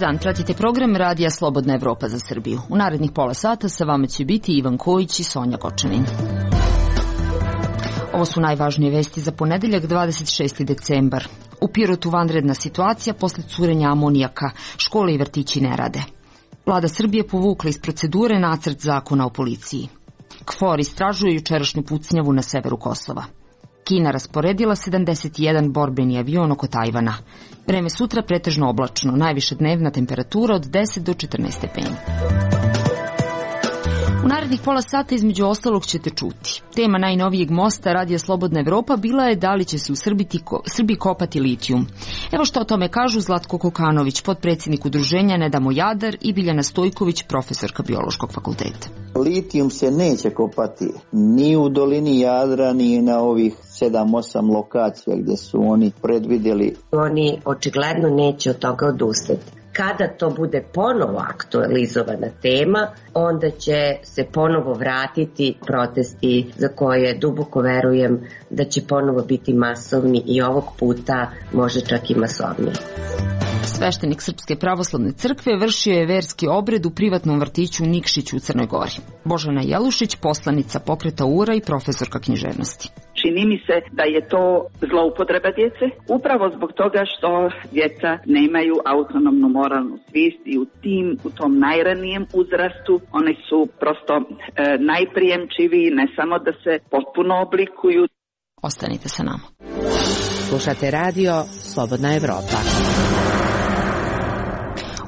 dan, pratite program Radija Slobodna Evropa za Srbiju. U narednih pola sata sa vama će biti Ivan Kojić i Sonja Kočanin. Ovo su najvažnije vesti za ponedeljak 26. decembar. U Pirotu vanredna situacija posle curenja amonijaka. Škole i vrtići ne rade. Vlada Srbije povukla iz procedure nacrt zakona o policiji. KFOR istražuje jučerašnju pucnjavu na severu Kosova. Kina rasporedila 71 borbeni avion oko Tajvana. Vreme sutra pretežno oblačno, najviša dnevna temperatura od 10 do 14 stepeni. U narednih pola sata između ostalog ćete čuti. Tema najnovijeg mosta Radija Slobodna Evropa bila je da li će se u Srbiji kopati litijum. Evo što o tome kažu Zlatko Kokanović, potpredsjednik udruženja Ne damo Jadar, i Biljana Stojković, profesorka Biološkog fakulteta. Litijum se neće kopati ni u dolini Jadra, ni na ovih 7-8 lokacija gdje su oni predvidjeli. Oni očigledno neće od toga odustati. Kada to bude ponovo aktualizovana tema, onda će se ponovo vratiti protesti za koje duboko verujem da će ponovo biti masovni i ovog puta može čak i masovniji. Sveštenik Srpske pravoslavne crkve vršio je verski obred u privatnom vrtiću u Nikšiću u Crnoj Gori. Božana Jelušić, poslanica pokreta URA i profesorka književnosti. Čini mi se da je to zloupotreba djece, upravo zbog toga što djeca nemaju autonomnu moralnu svijest i u tom najranijem uzrastu oni su prosto najprijemčiviji, ne samo da se potpuno oblikuju. Ostanite sa nama. Slušate radio Slobodna Evropa.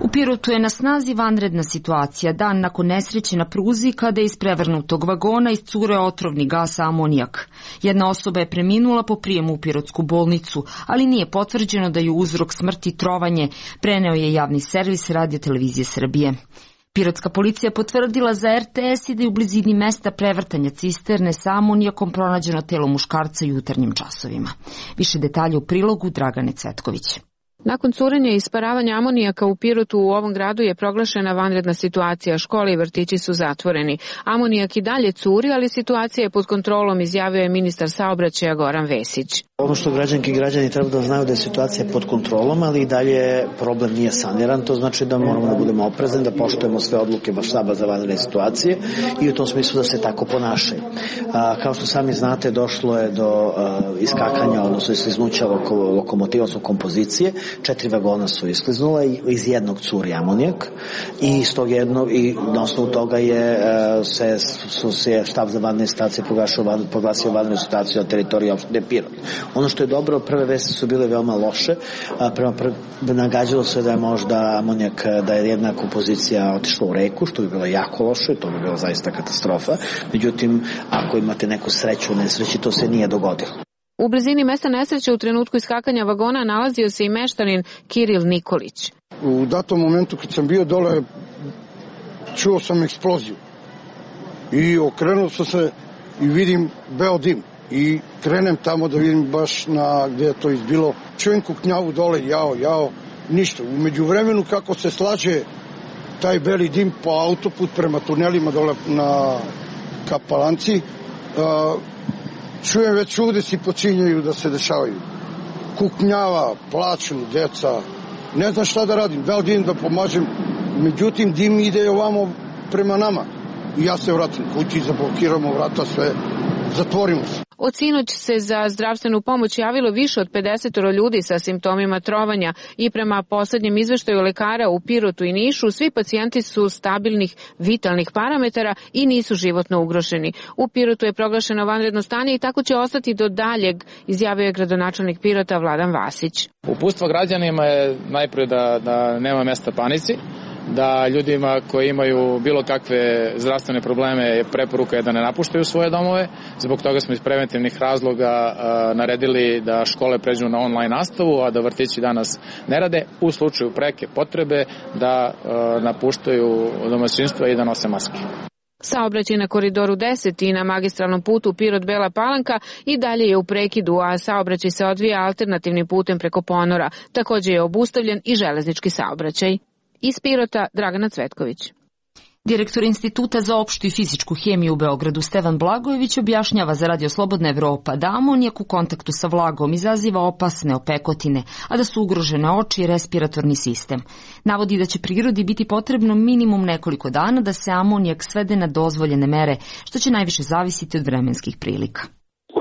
U Pirotu je na snazi vanredna situacija dan nakon nesreće na pruzi kada je iz prevrnutog vagona iscureo otrovni gas amonijak. Jedna osoba je preminula po prijemu u Pirotsku bolnicu, ali nije potvrđeno da je uzrok smrti trovanje, preneo je javni servis Radio-televizije Srbije. Pirotska policija potvrdila za RTS i da je u blizini mesta prevrtanja cisterne sa amonijakom pronađeno telo muškarca u jutarnjim časovima. Više detalja u prilogu Dragane Cvetković. Nakon curenja i isparavanja amonijaka u Pirotu u ovom gradu je proglašena vanredna situacija. Škole i vrtići su zatvoreni. Amonijak i dalje curi, ali situacija je pod kontrolom, izjavio je ministar saobraćaja Goran Vesić. Ono što građanke i građani treba da znaju da je situacija pod kontrolom, ali i dalje problem nije saniran. To znači da moramo da budemo oprezni, da poštujemo sve odluke štaba za vanredne situacije i u tom smislu da se tako ponašaju. Kao što sami znate, došlo je do iskakanja, odnosno iskliznuća lokomotiva, odnosno kompozicije. 4 vagona su iskliznula i iz jednog curi amonijak i na osnovu toga se štab za vanredne situacije proglasio vanrednu situaciju na teritoriji opštine Pirot. Ono što je dobro, prve vesti su bile veoma loše. Nagađalo se da je možda amonijak, da je jedna kompozicija otišla u reku, što bi bilo jako loše, to bi bilo zaista katastrofa. Međutim, ako imate neku sreću u nesreći, to se nije dogodilo. U blizini mesta nesreće u trenutku iskakanja vagona nalazio se i meštanin Kiril Nikolić. U datom momentu kad sam bio dole, čuo sam eksploziju i okrenuo sam se i vidim beo dim i krenem tamo da vidim baš gdje je to izbilo. Čujem kuknjavu dole, jao, ništa. U međuvremenu kako se slaže taj beli dim po autoput prema tunelima dole ka Palanci, čujem već udesi počinjaju da se dešavaju. Kuknjava, plaču, djeca. Ne znam šta da radim, da li idem da pomažem. Međutim, dim ide ovamo prema nama. I ja se vratim kući, zablokiramo vrata, sve, zatvorimo se. Od sinoć se za zdravstvenu pomoć javilo više od 50 ljudi sa simptomima trovanja i prema poslednjem izveštaju lekara u Pirotu i Nišu, svi pacijenti su stabilnih vitalnih parametara i nisu životno ugroženi. U Pirotu je proglašeno vanredno stanje i tako će ostati do daljeg, izjavio je gradonačelnik Pirota Vladan Vasić. Uputstvo građanima je najprije da nema mesta panici, da ljudima koji imaju bilo kakve zdravstvene probleme preporuka je da ne napuštaju svoje domove. Zbog toga smo iz preventivnih razloga naredili da škole pređu na online nastavu, a da vrtići danas ne rade. U slučaju preke potrebe da napuštaju domaćinstva i da nose maske. Saobraćaj na Koridoru 10 i na magistralnom putu Pirot-Bela Palanka i dalje je u prekidu, a saobraćaj se odvija alternativnim putem preko ponora. Također je obustavljen i železnički saobraćaj. Iz Pirota, Dragana Cvetković. Direktor Instituta za opštu i fizičku hemiju u Beogradu Stevan Blagojević objašnjava za Radio Slobodna Evropa da amonijak u kontaktu sa vlagom izaziva opasne opekotine, a da su ugrožene oči i respiratorni sistem. Navodi da će prirodi biti potrebno minimum nekoliko dana da se amonijak svede na dozvoljene mere, što će najviše zavisiti od vremenskih prilika.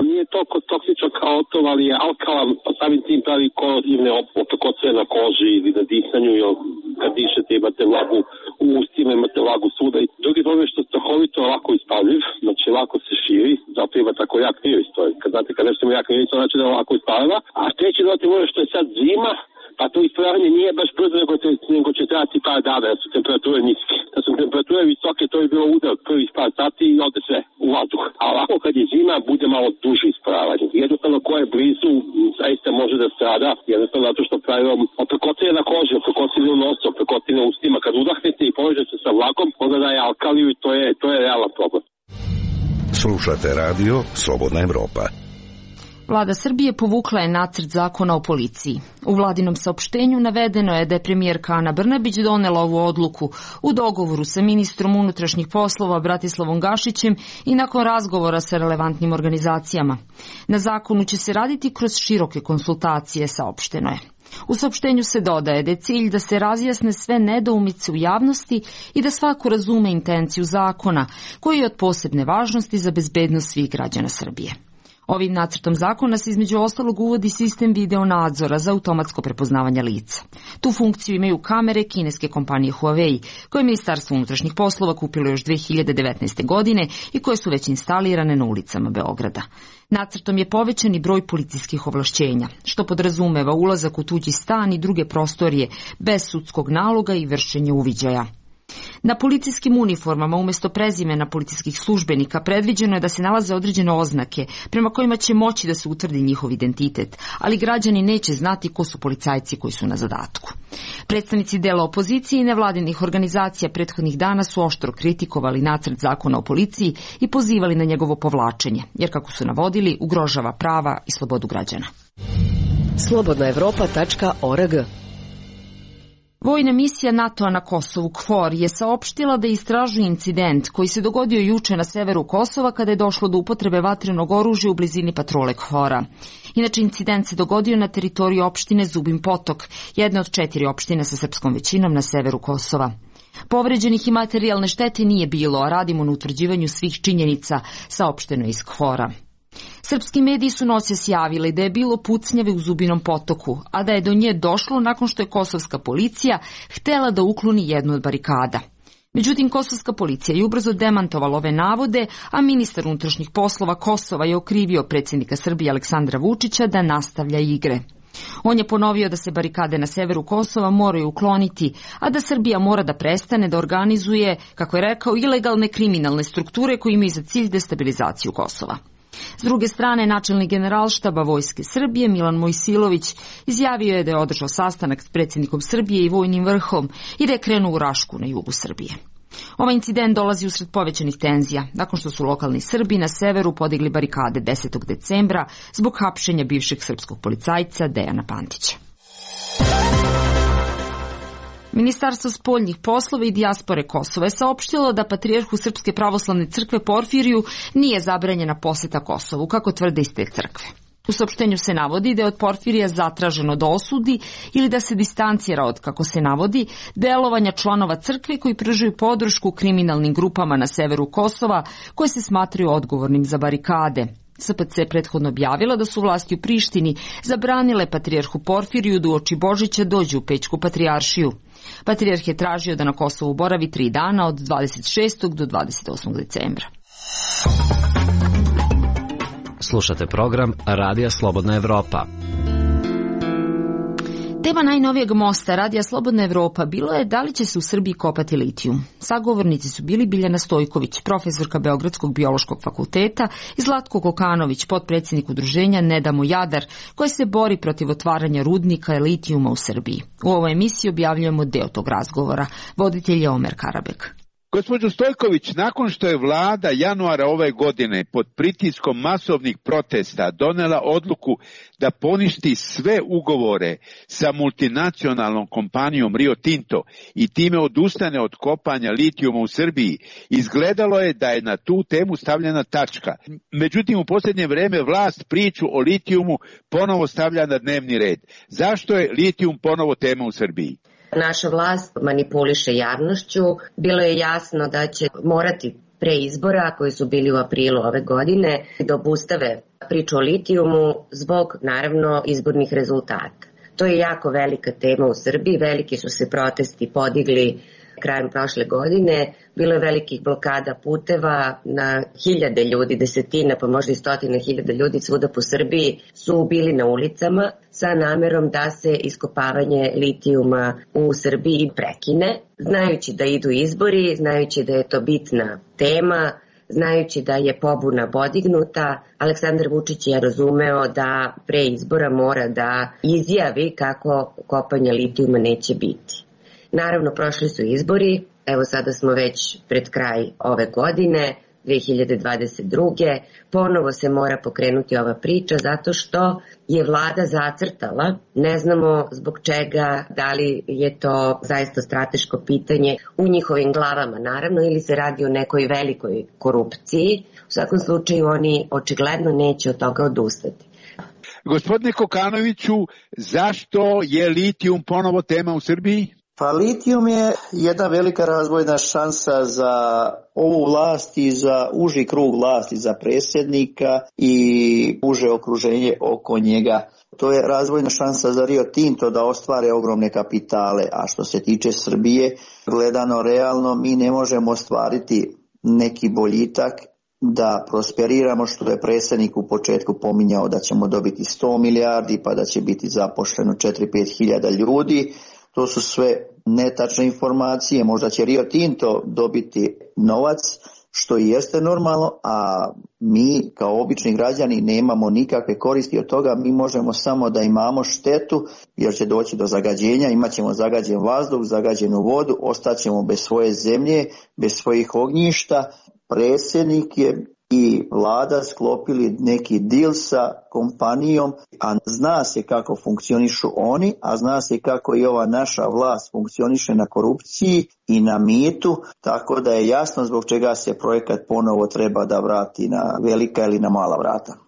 Nije toliko toksičan kao otov, ali je alkalan, pa samim tim pravi korozivne opekotine na koži ili na disanju, jer kad dišete imate vlagu u ustima, imate vlagu svuda. I drugi problem je što strahovito lako ispaljiv, znači lako se širi, zato ima tako jak miris. Kad znate, kad nešto ima jak miris, to znači da je lako ispaljiva. A treći dodatni moment što je sad zima, pa to ispravljanje nije baš brzo, nego će trebati par dana, da su temperature niske. Da su temperature visoke, to je bilo udar prvih par sati i ode sve u vazduh. A ovako kad je zima, bude malo duže ispravljanje. Jednostavno ko je blizu, zaista može da strada, jednostavno zato što pravi opekotine na koži, opekotine u nosu, opekotine u ustima. Kad udahnete i povežete se sa vlakom, onda daje alkaliju i to je realan problem. Slušate radio Slobodna Evropa. Vlada Srbije povukla je nacrt zakona o policiji. U vladinom saopštenju navedeno je da je premijerka Ana Brnabić donela ovu odluku u dogovoru sa ministrom unutrašnjih poslova Bratislavom Gašićem i nakon razgovora sa relevantnim organizacijama. Na zakonu će se raditi kroz široke konsultacije, saopšteno je. U saopštenju se dodaje da je cilj da se razjasne sve nedoumice u javnosti i da svako razume intenciju zakona, koji je od posebne važnosti za bezbednost svih građana Srbije. Ovim nacrtom zakona se između ostalog uvodi sistem video nadzora za automatsko prepoznavanje lica. Tu funkciju imaju kamere kineske kompanije Huawei, koje je Ministarstvo unutrašnjih poslova kupilo još 2019. godine i koje su već instalirane na ulicama Beograda. Nacrtom je povećan i broj policijskih ovlašćenja, što podrazumeva ulazak u tuđi stan i druge prostorije bez sudskog naloga i vršenje uviđaja. Na policijskim uniformama umjesto prezimena policijskih službenika predviđeno je da se nalaze određene oznake prema kojima će moći da se utvrdi njihov identitet, ali građani neće znati ko su policajci koji su na zadatku. Predstavnici dela opozicije i nevladinih organizacija prethodnih dana su oštro kritikovali nacrt zakona o policiji i pozivali na njegovo povlačenje, jer kako su navodili, ugrožava prava i slobodu građana. slobodnaevropa.org. Vojna misija NATO-a na Kosovu KFOR je saopštila da istražuje incident koji se dogodio juče na severu Kosova kada je došlo do upotrebe vatrenog oružja u blizini patrole KFOR-a. Inače, incident se dogodio na teritoriji opštine Zubin Potok, jedne od 4 opštine sa srpskom većinom na severu Kosova. Povređenih i materijalne štete nije bilo, a radimo na utvrđivanju svih činjenica, saopšteno iz KFOR-a. Srpski mediji su noćas javili da je bilo pucnjave u Zubinom Potoku, a da je do nje došlo nakon što je kosovska policija htela da ukloni jednu od barikada. Međutim, kosovska policija je ubrzo demantovala ove navode, a ministar unutrašnjih poslova Kosova je okrivio predsjednika Srbije Aleksandra Vučića da nastavlja igre. On je ponovio da se barikade na severu Kosova moraju ukloniti, a da Srbija mora da prestane da organizuje, kako je rekao, ilegalne kriminalne strukture koje imaju za cilj destabilizaciju Kosova. S druge strane, načelnik generalštaba Vojske Srbije Milan Mojsilović izjavio je da je održao sastanak s predsjednikom Srbije i vojnim vrhom i da je krenuo u Rašku na jugu Srbije. Ovaj incident dolazi usred povećanih tenzija, nakon što su lokalni Srbi na severu podigli barikade 10. decembra zbog hapšenja bivšeg srpskog policajca Dejana Pantića. Ministarstvo spoljnih poslova i dijaspore Kosova je saopštilo da patrijarhu Srpske pravoslavne crkve Porfiriju nije zabranjena poseta Kosovu, kako tvrde iz te crkve. U saopštenju se navodi da je od Porfirija zatraženo da osudi ili da se distancira od, kako se navodi, delovanja članova crkve koji pružaju podršku kriminalnim grupama na severu Kosova koje se smatraju odgovornim za barikade. SPC je prethodno objavila da su vlasti u Prištini zabranile patrijarhu Porfiriju da uoči Božića dođe u Pećku patrijaršiju. Patrijarh je tražio da na Kosovu boravi 3 dana od 26. do 28. decembra. Slušate program Radija Slobodna Evropa. Tema najnovijeg mosta Radija Slobodna Evropa bilo je da li će se u Srbiji kopati litijum. Sagovornici su bili Biljana Stojković, profesorka Beogradskog biološkog fakulteta, i Zlatko Kokanović, potpredsjednik udruženja Ne damo Jadar, koje se bori protiv otvaranja rudnika litijuma u Srbiji. U ovoj emisiji objavljujemo deo tog razgovora. Voditelj je Omer Karabek. Gospođo Stojković, nakon što je vlada januara ove godine pod pritiskom masovnih protesta donela odluku da poništi sve ugovore sa multinacionalnom kompanijom Rio Tinto i time odustane od kopanja litijuma u Srbiji, izgledalo je da je na tu temu stavljena tačka. Međutim, u posljednje vreme vlast priču o litijumu ponovo stavlja na dnevni red. Zašto je litijum ponovo tema u Srbiji? Naša vlast manipuliše javnošću. Bilo je jasno da će morati pre izbora koji su bili u aprilu ove godine da obustave priču o litijumu zbog naravno izbornih rezultata. To je jako velika tema u Srbiji, veliki su se protesti podigli krajem prošle godine, bilo je velikih blokada puteva, na hiljade ljudi, desetina pa možda i stotine hiljada ljudi svuda po Srbiji su bili na ulicama sa namerom da se iskopavanje litijuma u Srbiji prekine, znajući da idu izbori, znajući da je to bitna tema, znajući da je pobuna podignuta. Aleksandar Vučić je razumeo da pre izbora mora da izjavi kako kopanja litijuma neće biti. Naravno, prošli su izbori, evo sada smo već pred kraj ove godine, 2022. Ponovo se mora pokrenuti ova priča zato što je vlada zacrtala, ne znamo zbog čega, da li je to zaista strateško pitanje u njihovim glavama naravno ili se radi o nekoj velikoj korupciji. U svakom slučaju oni očigledno neće od toga odustati. Gospodine Kokanoviću, zašto je litijum ponovo tema u Srbiji? Pa litijum je jedna velika razvojna šansa za ovu vlast i za uži krug vlasti, za predsjednika i uže okruženje oko njega. To je razvojna šansa za Rio Tinto da ostvare ogromne kapitale, a što se tiče Srbije, gledano realno, mi ne možemo ostvariti neki boljitak da prosperiramo, što je predsjednik u početku pominjao da ćemo dobiti 100 milijardi pa da će biti zaposleno 4-5 hiljada ljudi. To su sve netačne informacije, možda će Rio Tinto dobiti novac, što i jeste normalno, a mi kao obični građani nemamo nikakve koristi od toga, mi možemo samo da imamo štetu jer će doći do zagađenja, imat ćemo zagađen vazduh, zagađenu vodu, ostaćemo bez svoje zemlje, bez svojih ognjišta. Predsjednik je i vlada sklopili neki deal sa kompanijom, a zna se kako funkcionišu oni, a zna se kako i ova naša vlast funkcioniše na korupciji i na mitu, tako da je jasno zbog čega se projekat ponovo treba da vrati na velika ili na mala vrata.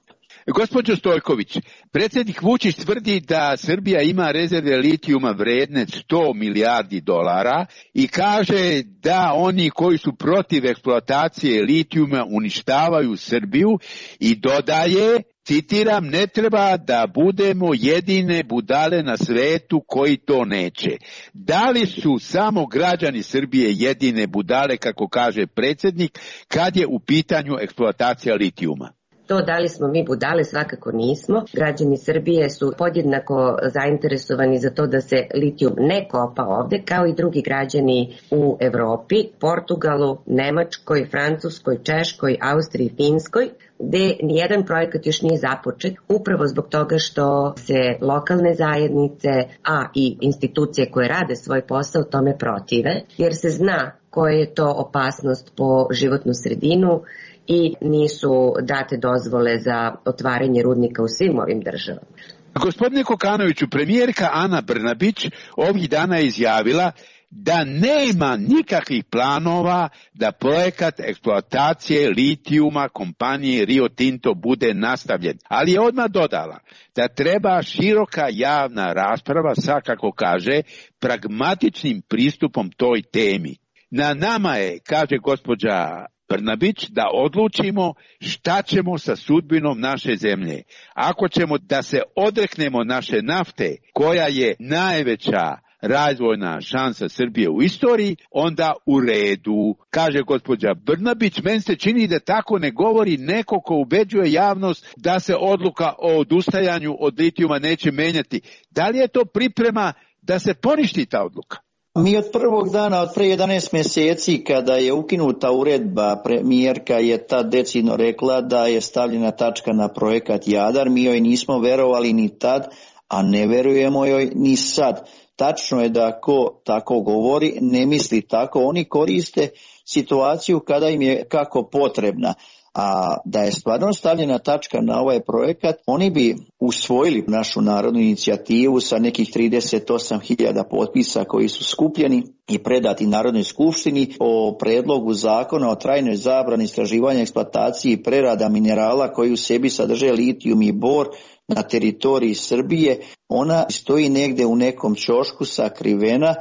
Gospođo Stojković, predsjednik Vučić tvrdi da Srbija ima rezerve litijuma vredne 100 milijardi dolara i kaže da oni koji su protiv eksploatacije litijuma uništavaju Srbiju i dodaje, citiram, ne treba da budemo jedine budale na svetu koji to neće. Da li su samo građani Srbije jedine budale, kako kaže predsjednik, kad je u pitanju eksploatacija litijuma? To da li smo mi budale, svakako nismo. Građani Srbije su podjednako zainteresovani za to da se litijum ne kopa ovde, kao i drugi građani u Evropi, Portugalu, Nemačkoj, Francuskoj, Češkoj, Austriji, Finskoj, gde nijedan projekat još nije započet, upravo zbog toga što se lokalne zajednice, a i institucije koje rade svoj posao tome protive, jer se zna koja je to opasnost po životnu sredinu i nisu date dozvole za otvaranje rudnika u svim ovim državama. Gospodine Kokanoviću, premijerka Ana Brnabić ovih dana je izjavila da nema nikakvih planova da projekat eksploatacije litijuma kompanije Rio Tinto bude nastavljen, ali je odmah dodala da treba široka javna rasprava sa, kako kaže, pragmatičnim pristupom toj temi. Na nama je, kaže gospođa Brnabić, da odlučimo šta ćemo sa sudbinom naše zemlje. Ako ćemo da se odreknemo naše nafte, koja je najveća razvojna šansa Srbije u istoriji, onda u redu. Kaže gospođa Brnabić, meni se čini da tako ne govori neko ko ubeđuje javnost da se odluka o odustajanju od litijuma neće menjati. Da li je to priprema da se poništi ta odluka? Mi od prvog dana, od pre 11 mjeseci, kada je ukinuta uredba, premijerka je tad decidno rekla da je stavljena tačka na projekat Jadar. Mi joj nismo verovali ni tad, a ne verujemo joj ni sad. tačno je da ko tako govori ne misli tako. Oni koriste situaciju kada im je kako potrebna. A da je stvarno stavljena tačka na ovaj projekat, oni bi usvojili našu narodnu inicijativu sa nekih 38.000 potpisa koji su skupljeni i predati Narodnoj skupštini o predlogu zakona o trajnoj zabrani istraživanja, eksploataciji i prerada minerala koji u sebi sadrže litijum i bor na teritoriji Srbije. Ona stoji negde u nekom ćošku sakrivena.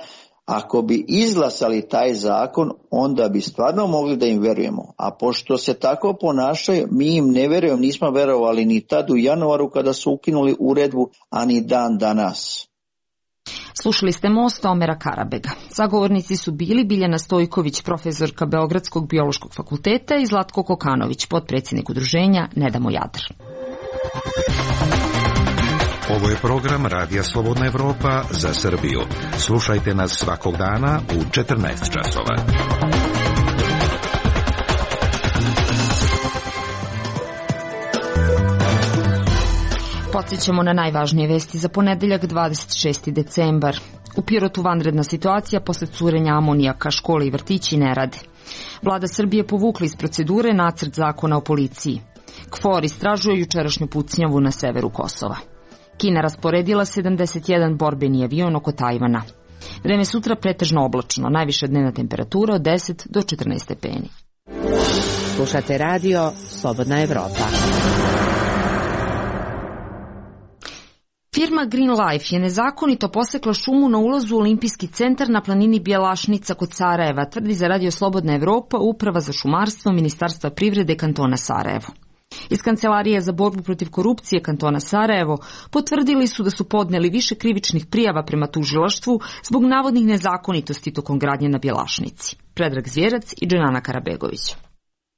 Ako bi izglasali taj zakon, onda bi stvarno mogli da im verujemo. A pošto se tako ponašaju, mi im ne verujemo, nismo verovali ni tad u januaru kada su ukinuli uredbu, a ni dan danas. Slušali ste Mosta Omera Karabega. Sagovornici su bili Biljana Stojković, profesorka Beogradskog biološkog fakulteta, i Zlatko Kokanović, potpredsjednik udruženja Ne damo Jadar. Ovo je program Radija Slobodna Evropa za Srbiju. Slušajte nas svakog dana u 14 časova. Podsjećamo na najvažnije vesti za ponedeljak 26. decembar. U Pirotu vanredna situacija posle curenja amonijaka, škole i vrtići ne rade. Vlada Srbije povukla iz procedure nacrt zakona o policiji. KFOR istražuje jučerašnju pucnjavu na severu Kosova. Kina rasporedila 71 borbeni avion oko Tajvana. Vreme sutra pretežno oblačno, najviša dnevna temperatura od 10 do 14 stepeni. Slušate radio Slobodna Evropa. Firma Green Life je nezakonito posekla šumu na ulazu u Olimpijski centar na planini Bjelašnica kod Sarajeva, tvrdi za Radio Slobodna Evropa Uprava za šumarstvo Ministarstva privrede kantona Sarajevo. Iz Kancelarije za borbu protiv korupcije kantona Sarajevo potvrdili su da su podneli više krivičnih prijava prema tužilaštvu zbog navodnih nezakonitosti tokom gradnje na Bjelašnici. Predrag Zvjerac i Dženana Karabegović.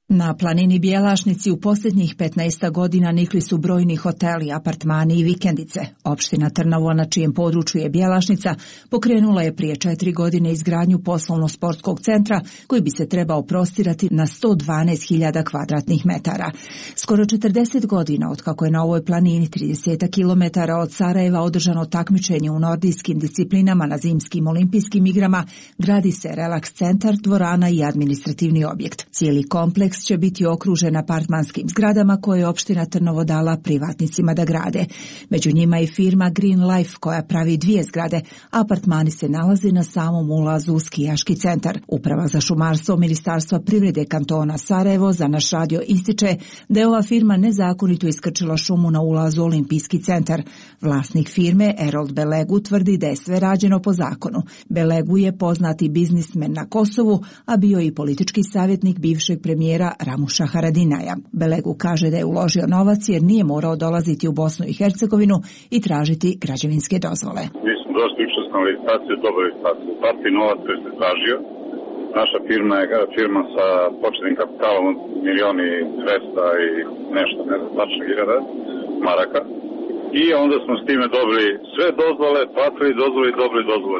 Na planini Bjelašnici u posljednjih 15 godina nikli su brojni hoteli, apartmani i vikendice. Opština Trnovo, na čijem području je Bjelašnica, pokrenula je prije 4 godine izgradnju poslovno-sportskog centra koji bi se trebao prostirati na 112.000 kvadratnih metara. Skoro 40 godina od kako je na ovoj planini 30 km od Sarajeva održano takmičenje u nordijskim disciplinama na zimskim olimpijskim igrama, gradi se relaks centar, dvorana i administrativni objekt. Cijeli kompleks će biti okružen apartmanskim zgradama koje je opština Trnovo dala privatnicima da grade. Među njima je firma Green Life koja pravi 2 zgrade, a apartmani se nalaze na samom ulazu u skijaški centar. Uprava za šumarstvo Ministarstva privrede kantona Sarajevo za naš radio ističe da je ova firma nezakonito iskrčila šumu na ulazu u Olimpijski centar. Vlasnik firme Erold Belegu tvrdi da je sve rađeno po zakonu. Belegu je poznati biznismen na Kosovu, a bio i politički savjetnik bivšeg premijera Ramuša Haradinaja. Belegu kaže da je uložio novac jer nije morao dolaziti u Bosnu i Hercegovinu i tražiti građevinske dozvole. Mi smo došli učestvovali na licitaciju, dobili licitaciju. Platili novac koji se tražio. Naša firma je firma sa početnim kapitalom od 1.200.000 i nešto, ne znam, tačno 1000 maraka. I onda smo s time dobili sve dozvole, platili dozvole i dobili dozvole.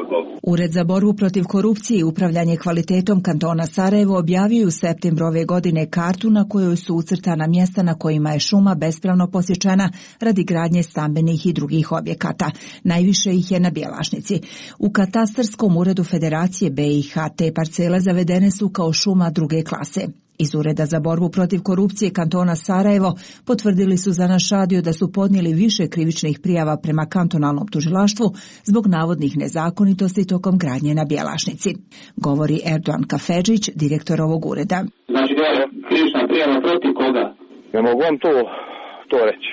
Ured za borbu protiv korupcije i upravljanje kvalitetom kantona Sarajevo objavio u septembru ove godine kartu na kojoj su ucrtana mjesta na kojima je šuma bespravno posječena radi gradnje stambenih i drugih objekata. Najviše ih je na Bjelašnici. U katastarskom uredu Federacije BiH te parcele zavedene su kao šuma druge klase. Iz Ureda za borbu protiv korupcije kantona Sarajevo potvrdili su za naš radio da su podnijeli više krivičnih prijava prema kantonalnom tužilaštvu zbog navodnih nezakonitosti tokom gradnje na Bjelašnici. Govori Erdogan Kafedžić, direktor ovog ureda. Znači da je krivična prijava protiv koga? Ne mogu vam to reći.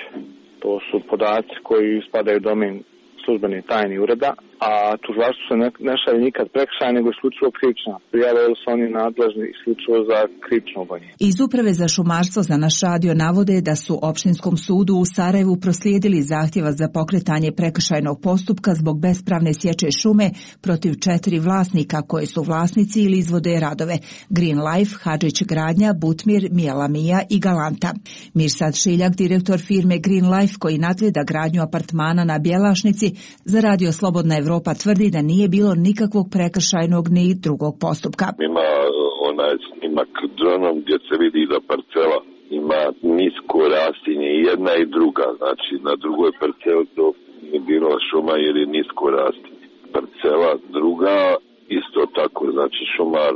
To su podaci koji spadaju u domen službene tajne ureda, a tužilaštvo se ne šalje nikad prekršaj, nego isključivo krivična prijava, jer su oni nadležni isključivo za krivično gonjenje. Iz Uprave za šumarstvo za naš radio navode da su opštinskom sudu u Sarajevu proslijedili zahtjeva za pokretanje prekršajnog postupka zbog bespravne sječe šume protiv 4 vlasnika koje su vlasnici ili izvode radove: Green Life, Hadžić Gradnja, Butmir, Mijelamija i Galanta. Mirsad Šiljak, direktor firme Green Life koji nadgleda gradnju apartmana na Bjelašnici, za Radio Slobodna Evropa tvrdi da nije bilo nikakvog prekršajnog ni drugog postupka. Ima onaj snimak dronom gdje se vidi da parcela ima nisko rastinje i jedna i druga, znači na drugoj parceli to nije bilo šuma jer je nisko rastinje. parcela. Druga, isto tako, znači šumar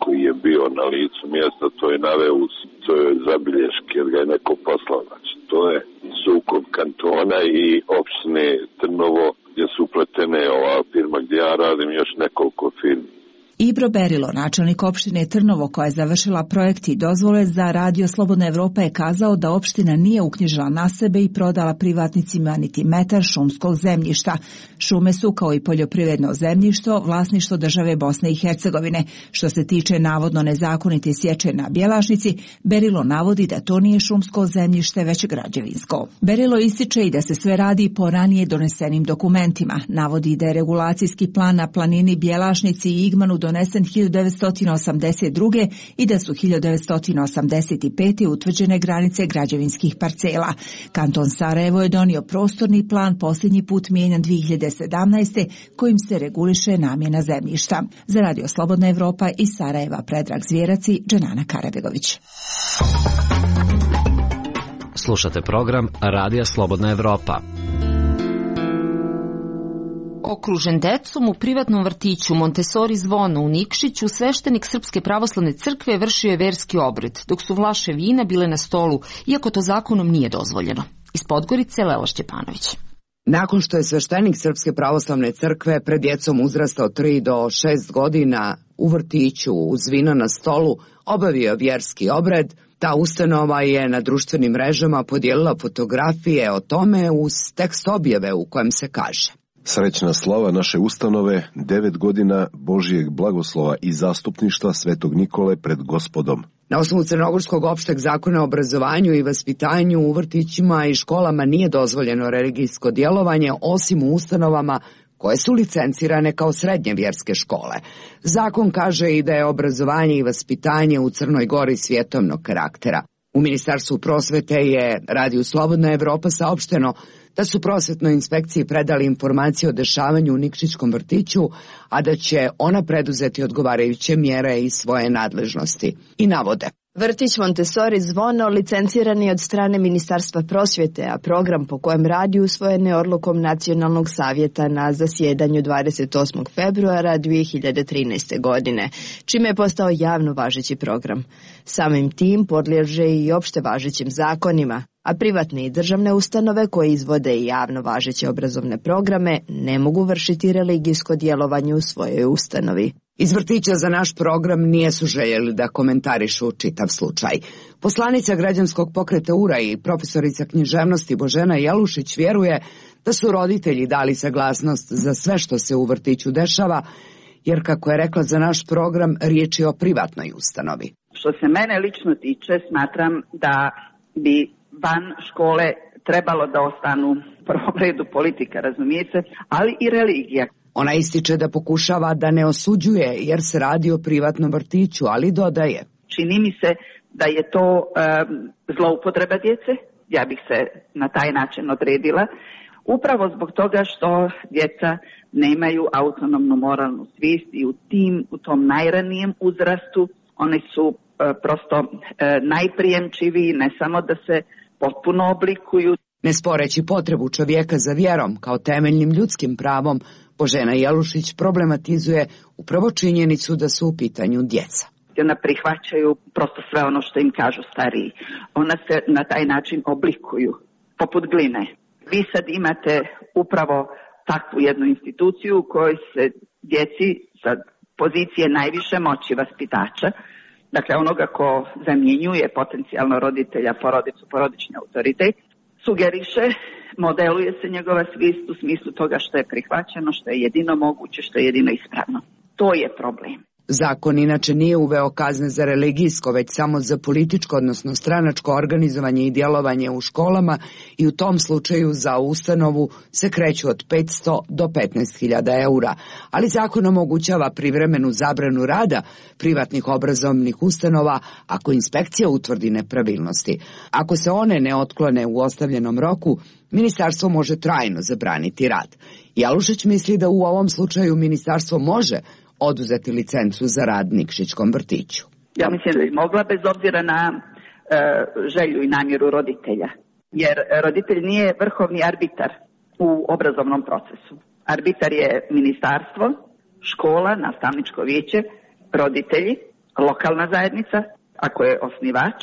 koji je bio na licu mjesta, to je naveo, to je zabilješke, jer ga je neko poslao. Znači, to je sukob kantona i opštine Trnovo, gdje su upletene ova firma gdje ja radim, još nekoliko firmi. Ibro Berilo, načelnik opštine Trnovo koja je završila projekt i dozvole za Radio Slobodna Evropa, je kazao da opština nije uknjižila na sebe i prodala privatnicima niti metar šumskog zemljišta. Šume su, kao i poljoprivredno zemljište, vlasništvo države Bosne i Hercegovine. Što se tiče navodno nezakonite sječe na Bjelašnici, Berilo navodi da to nije šumsko zemljište, već građevinsko. Berilo ističe i da se sve radi po ranije donesenim dokumentima. Navodi da je regulacijski plan na planini Bjelašnici i Igmanu donesen 1982. i da su 1985. utvrđene granice građevinskih parcela. Kanton Sarajevo je donio prostorni plan, posljednji put mijenjan 2017. kojim se reguliše namjena zemljišta. Za Radio Slobodna Evropa iz Sarajeva Predrag Zvjerac i Dženana Karabegović. Slušate program Radija Slobodna Evropa. Okružen decom u privatnom vrtiću Montessori Zvono u Nikšiću, sveštenik Srpske pravoslavne crkve vršio je verski obred, dok su vlaše vina bile na stolu, iako to zakonom nije dozvoljeno. Iz Podgorice, Lela Šćepanović. Nakon što je sveštenik Srpske pravoslavne crkve pred djecom uzrasta od 3 do 6 godina u vrtiću uz vino na stolu obavio vjerski obred, ta ustanova je na društvenim mrežama podijelila fotografije o tome uz tekst objave u kojem se kaže: Srećna slava naše ustanove, 9 godina Božijeg blagoslova i zastupništva Svetog Nikole pred Gospodom. Na osnovu Crnogorskog opšteg zakona o obrazovanju i vaspitanju u vrtićima i školama nije dozvoljeno religijsko djelovanje osim u ustanovama koje su licencirane kao srednje vjerske škole. Zakon kaže i da je obrazovanje i vaspitanje u Crnoj Gori svjetovnog karaktera. U Ministarstvu prosvete je Radiju Slobodna Evropa saopšteno da su prosvetnoj inspekciji predali informacije o dešavanju u Nikšićkom vrtiću, a da će ona preduzeti odgovarajuće mjere iz svoje nadležnosti. I navode: Vrtić Montessori Zvono licenciran je od strane Ministarstva prosvjete, a program po kojem radi usvojen je odlukom Nacionalnog savjeta na zasjedanju 28. februara 2013. godine, čime je postao javno važeći program. Samim tim podliježe i opšte važećim zakonima, a privatne i državne ustanove koje izvode i javno važeće obrazovne programe ne mogu vršiti religijsko djelovanje u svojoj ustanovi. Iz vrtića za naš program nijesu željeli da komentarišu čitav slučaj. Poslanica građanskog pokreta URA i profesorica književnosti Božena Jelušić vjeruje da su roditelji dali saglasnost za sve što se u vrtiću dešava, jer kako je rekla za naš program, riječ je o privatnoj ustanovi. Što se mene lično tiče, smatram da bi van škole trebalo da ostanu u prvom redu politika, razumijete, ali i religija. Ona ističe da pokušava da ne osuđuje jer se radi o privatnom vrtiću, ali dodaje: Čini mi se da je to zloupotreba djece, ja bih se na taj način odredila, upravo zbog toga što djeca nemaju autonomnu moralnu svijest i u tom najranijem uzrastu oni su prosto najprijemčiviji, ne samo da se potpuno oblikuju. Ne sporeći potrebu čovjeka za vjerom kao temeljnim ljudskim pravom, Božena Jelušić problematizuje upravo činjenicu da su u pitanju djeca. Ona prihvaćaju prosto sve ono što im kažu stariji. Ona se na taj način oblikuju, poput gline. Vi sad imate upravo takvu jednu instituciju u kojoj se djeci sa pozicije najviše moći vaspitača, dakle onoga ko zamjenjuje potencijalno roditelja, porodicu, porodični autoritet, sugeriše, modeluje se njegova svijest u smislu toga što je prihvaćeno, što je jedino moguće, što je jedino ispravno. To je problem. Zakon inače nije uveo kazne za religijsko, već samo za političko, odnosno stranačko organizovanje i djelovanje u školama i u tom slučaju za ustanovu se kreću od 500 do 15.000 eura, ali zakon omogućava privremenu zabranu rada privatnih obrazovnih ustanova ako inspekcija utvrdi nepravilnosti. Ako se one ne otklone u ostavljenom roku, ministarstvo može trajno zabraniti rad. Jelušić misli da u ovom slučaju ministarstvo može oduzeti licencu za rad Nikšićkom vrtiću. Ja mislim da bi mogla bez obzira na želju i namjeru roditelja, jer roditelj nije vrhovni arbitar u obrazovnom procesu. Arbitar je ministarstvo, škola, nastavničko vijeće, roditelji, lokalna zajednica, ako je osnivač.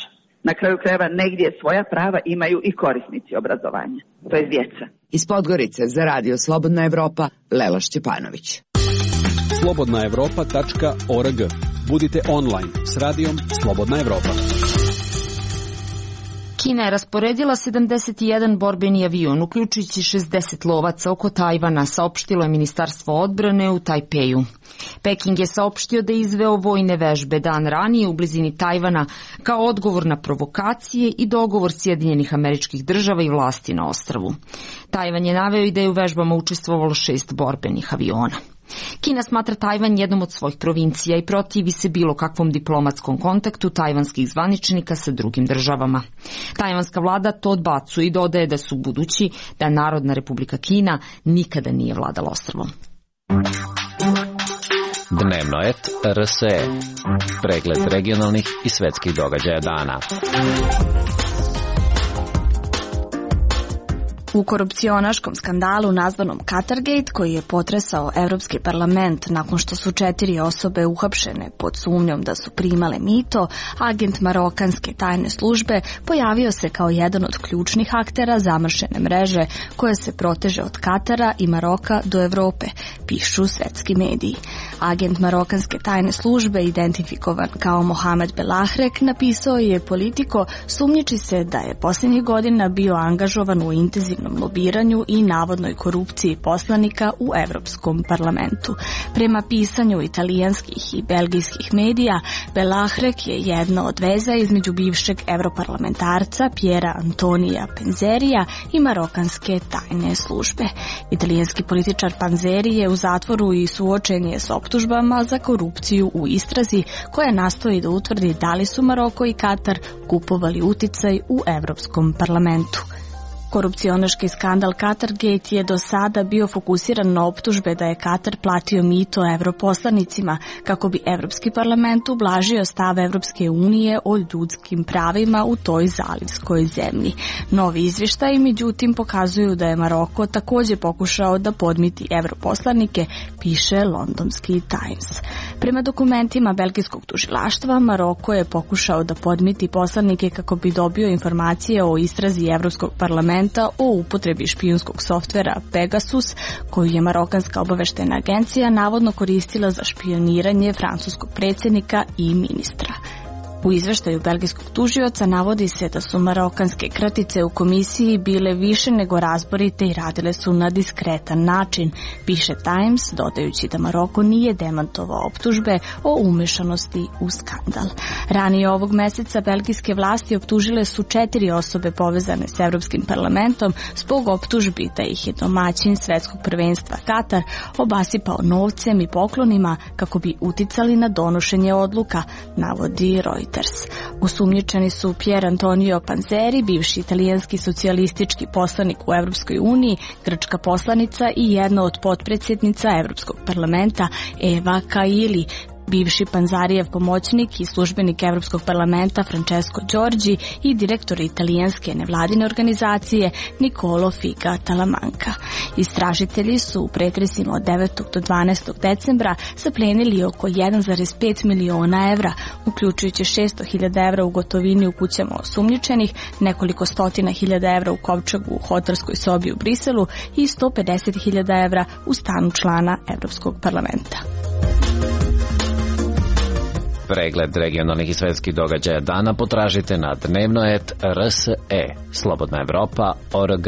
Na kraju krajeva negdje svoja prava imaju i korisnici obrazovanja, to je djeca. Iz Podgorice za Radio Slobodna Evropa, Lela Šćepanović. slobodnaevropa.org. Budite online s radijom Slobodna Evropa. Kina je rasporedila 71 borbeni avion, uključujući 60 lovaca oko Tajvana, saopštilo je Ministarstvo odbrane u Tajpeju. Peking je saopštio da je izveo vojne vežbe dan ranije u blizini Tajvana kao odgovor na provokacije i dogovor Sjedinjenih Američkih Država i vlasti na ostrvu. Tajvan je naveo i da je u vežbama učestvovalo 6 borbenih aviona. Kina smatra Tajvan jednom od svojih provincija i protivi se bilo kakvom diplomatskom kontaktu tajvanskih zvaničnika sa drugim državama. Tajvanska vlada to odbacuje i dodaje da su budući da Narodna Republika Kina nikada nije vladala ostrvom. Dnevno et RSE. Pregled regionalnih i svetskih događaja dana. U korupcionaškom skandalu nazvanom Qatargate, koji je potresao Evropski parlament nakon što su 4 osobe uhapšene pod sumnjom da su primale mito, agent marokanske tajne službe pojavio se kao jedan od ključnih aktera zamršene mreže koja se proteže od Katara i Maroka do Evrope, pišu svetski mediji. Agent marokanske tajne službe, identifikovan kao Mohamed Belahrek, napisao je Politico sumnjiči se da je posljednjih godina bio angažovan u intenzivnom lobiranju i navodnoj korupciji poslanika u Evropskom parlamentu. Prema pisanju italijanskih i belgijskih medija, Belahrek je jedna od veza između bivšeg europarlamentarca Piera Antonija Panzerija i marokanske tajne službe. Italijanski političar Panzeri je u zatvoru i suočen je s optužbama za korupciju u istrazi koja nastoji da utvrdi da li su Maroko i Katar kupovali uticaj u Evropskom parlamentu. Korupcionaški skandal Qatargate je do sada bio fokusiran na optužbe da je Katar platio mito evroposlanicima kako bi Evropski parlament ublažio stav Evropske unije o ljudskim pravima u toj zalivskoj zemlji. Novi izvještaji međutim pokazuju da je Maroko također pokušao da podmiti evroposlanike, piše londonski Times. Prema dokumentima belgijskog tužilaštva, Maroko je pokušao da podmiti poslanike kako bi dobio informacije o istrazi Evropskog parlamenta o upotrebi špijunskog softvera Pegasus, koju je marokanska obaveštena agencija navodno koristila za špioniranje francuskog predsjednika i ministra. U izveštaju belgijskog tužioca navodi se da su marokanske kratice u komisiji bile više nego razborite i radile su na diskretan način, piše Times, dodajući da Maroko nije demantovao optužbe o umešanosti u skandal. Ranije ovog meseca belgijske vlasti optužile su 4 osobe povezane s Evropskim parlamentom zbog optužbi da ih je domaćin svetskog prvenstva Katar obasipao novcem i poklonima kako bi uticali na donošenje odluka, navodi Reuters. Osumnjičeni su Pier Antonio Panzeri, bivši italijanski socijalistički poslanik u Evropskoj uniji, grčka poslanica i jedna od potpredsjednica Evropskog parlamenta Eva Kaili, bivši Panzarijev pomoćnik i službenik Evropskog parlamenta Francesco Giorgi i direktor italijanske nevladine organizacije Nicolo Figa Talamanca. Istražitelji su u pretresima od 9. do 12. decembra zaplenili oko 1,5 miliona evra, uključujući 600.000 evra u gotovini u kućama osumnjičenih, nekoliko stotina hiljada evra u kovčegu u hotelskoj sobi u Briselu i 150.000 evra u stanu člana Evropskog parlamenta. Pregled regionalnih i svetskih događaja dana potražite na dnevnoet.rse, slobodnaevropa.org.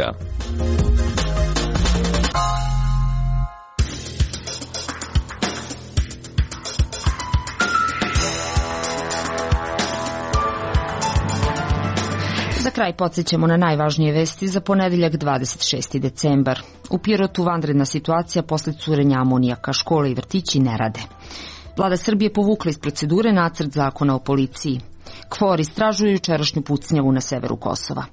Za kraj podsjećamo na najvažnije vesti za ponedeljak 26. decembar. U Pirotu vanredna situacija posle curenja amonijaka, škole i vrtići ne rade. Vlada Srbije povukla iz procedure nacrt zakona o policiji. KFOR istražuje jučerašnju pucnjavu na severu Kosova.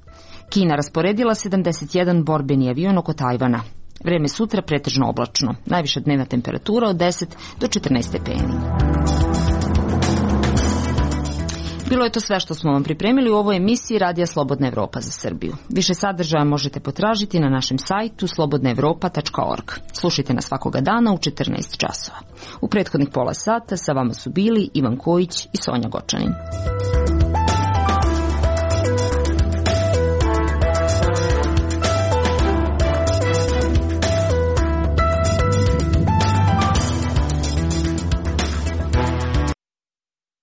Kina rasporedila 71 borbeni avion oko Tajvana. Vreme sutra pretežno oblačno. Najviša dnevna temperatura od 10 do 14 stepeni. Bilo je to sve što smo vam pripremili u ovoj emisiji Radija Slobodna Evropa za Srbiju. Više sadržaja možete potražiti na našem sajtu slobodnaevropa.org. Slušajte nas svakoga dana u 14 časova. U prethodnih pola sata sa vama su bili Ivan Kojić i Sonja Gočanin.